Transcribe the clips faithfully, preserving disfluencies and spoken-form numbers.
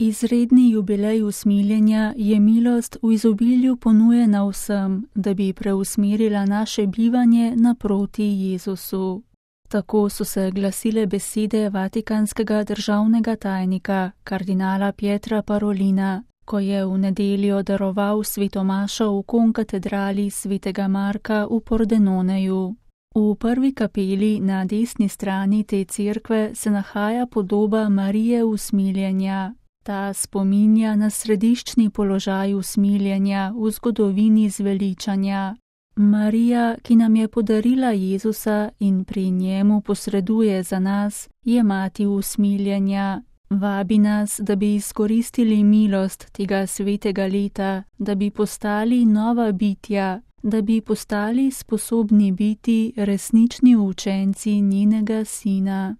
Izredni jubilej usmiljenja je milost v izobilju ponujena vsem, da bi preusmerila naše bivanje naproti Jezusu. Tako so se glasile besede vatikanskega državnega tajnika, kardinala Pietra Parolina, ko je v nedeljo daroval svetomašo v konkatedrali svetega Marka v Pordenoneju. V prvi kapeli na desni strani te cerkve se nahaja podoba Marije usmiljenja. Ta spominja na središčni položaj usmiljenja v zgodovini zveličanja. Marija, ki nam je podarila Jezusa in pri njemu posreduje za nas, je mati usmiljenja. Vabi nas, da bi izkoristili milost tega svetega leta, da bi postali nova bitja, da bi postali sposobni biti resnični učenci njenega sina.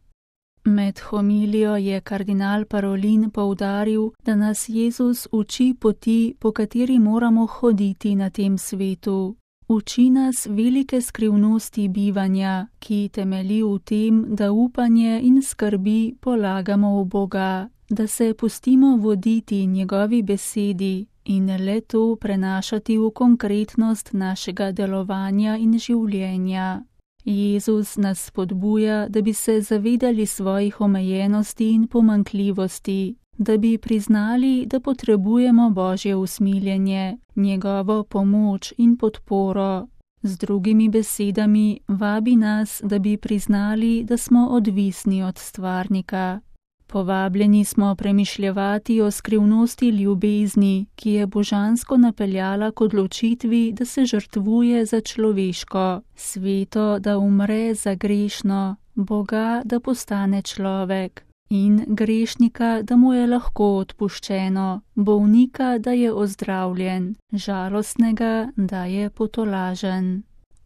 Med homilijo je kardinal Parolin poudaril, da nas Jezus uči poti, po kateri moramo hoditi na tem svetu. Uči nas velike skrivnosti bivanja, ki temelji v tem, da upanje in skrbi polagamo v Boga, da se pustimo voditi njegovi besedi in le to prenašati v konkretnost našega delovanja in življenja. Jezus nas spodbuja, da bi se zavedali svojih omejenosti in pomanjkljivosti, da bi priznali, da potrebujemo Božje usmiljenje, njegovo pomoč in podporo. Z drugimi besedami vabi nas, da bi priznali, da smo odvisni od stvarnika. Povabljeni smo premišljevati o skrivnosti ljubezni, ki je božansko napeljala k odločitvi, da se žrtvuje za človeško, sveto, da umre za grešno, Boga, da postane človek, in grešnika, da mu je lahko odpuščeno, bolnika, da je ozdravljen, žalostnega, da je potolažen.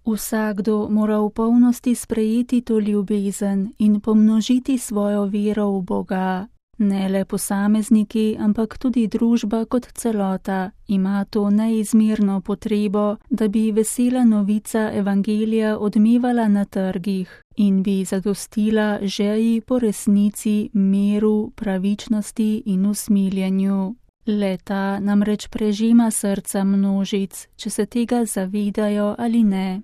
Vsakdo mora v polnosti sprejeti to ljubezen in pomnožiti svojo vero v Boga. Ne le posamezniki, ampak tudi družba kot celota ima to neizmerno potrebo, da bi vesela novica evangelija odmevala na trgih in bi zadostila žeji po resnici, miru, pravičnosti in usmiljenju. Le-ta namreč prežima srca množic, če se tega zavedajo ali ne.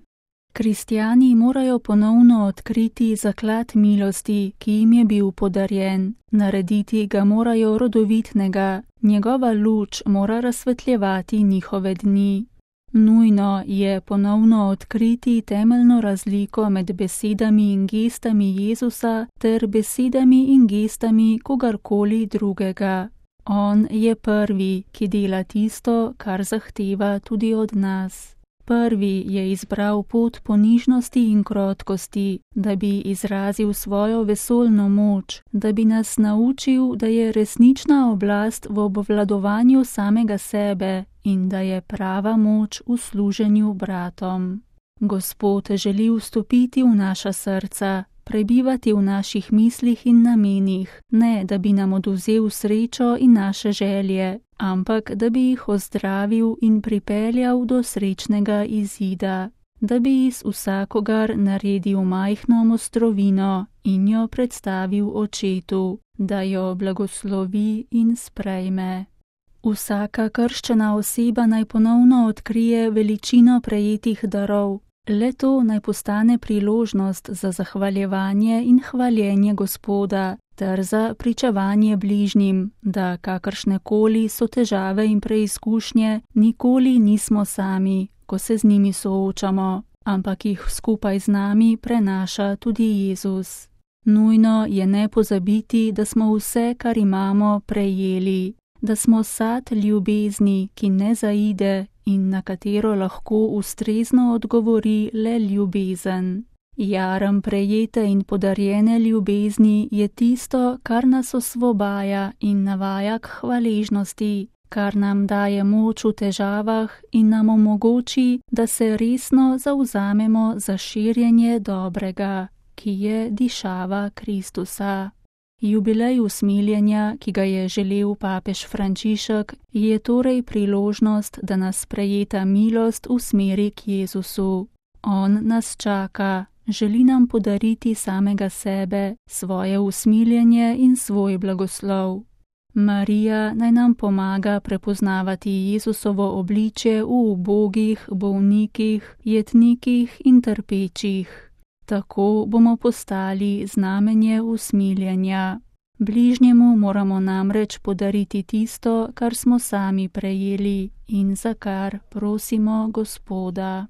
Kristjani morajo ponovno odkriti zaklad milosti, ki jim je bil podarjen. Narediti ga morajo rodovitnega, njegova luč mora razsvetljevati njihove dni. Nujno je ponovno odkriti temeljno razliko med besedami in gestami Jezusa ter besedami in gestami kogarkoli drugega. On je prvi, ki dela tisto, kar zahteva tudi od nas. Prvi je izbral pot ponižnosti in krotkosti, da bi izrazil svojo vesoljno moč, da bi nas naučil, da je resnična oblast v obvladovanju samega sebe in da je prava moč v služenju bratom. Gospod želi vstopiti v naša srca, prebivati v naših mislih in namenih, ne da bi nam odvzel srečo in naše želje, ampak da bi jih ozdravil in pripeljal do srečnega izida, da bi iz vsakogar naredil majhno mostrovino in jo predstavil očetu, da jo blagoslovi in sprejme. Vsaka krščena oseba naj ponovno odkrije veličino prejetih darov, le to naj postane priložnost za zahvaljevanje in hvaljenje Gospoda, ter za pričevanje bližnjim, da kakršnekoli so težave in preizkušnje, nikoli nismo sami, ko se z njimi soočamo, ampak jih skupaj z nami prenaša tudi Jezus. Nujno je ne pozabiti, da smo vse, kar imamo, prejeli, da smo sad ljubezni, ki ne zaide in na katero lahko ustrezno odgovori le ljubezen. Jarem prejete in podarjene ljubezni je tisto, kar nas osvobaja in navaja k hvaležnosti, kar nam daje moč v težavah in nam omogoči, da se resno zavzamemo za širjenje dobrega, ki je dišava Kristusa. Jubilej usmiljenja, ki ga je želel papež Frančišek, je torej priložnost, da nas prejeta milost usmeri k Jezusu. On nas čaka, želi nam podariti samega sebe, svoje usmiljenje in svoj blagoslov. Marija naj nam pomaga prepoznavati Jezusovo obličje v ubogih, bolnikih, jetnikih in trpečih. Tako bomo postali znamenje usmiljenja. Bližnjemu moramo namreč podariti tisto, kar smo sami prejeli in za kar prosimo Gospoda.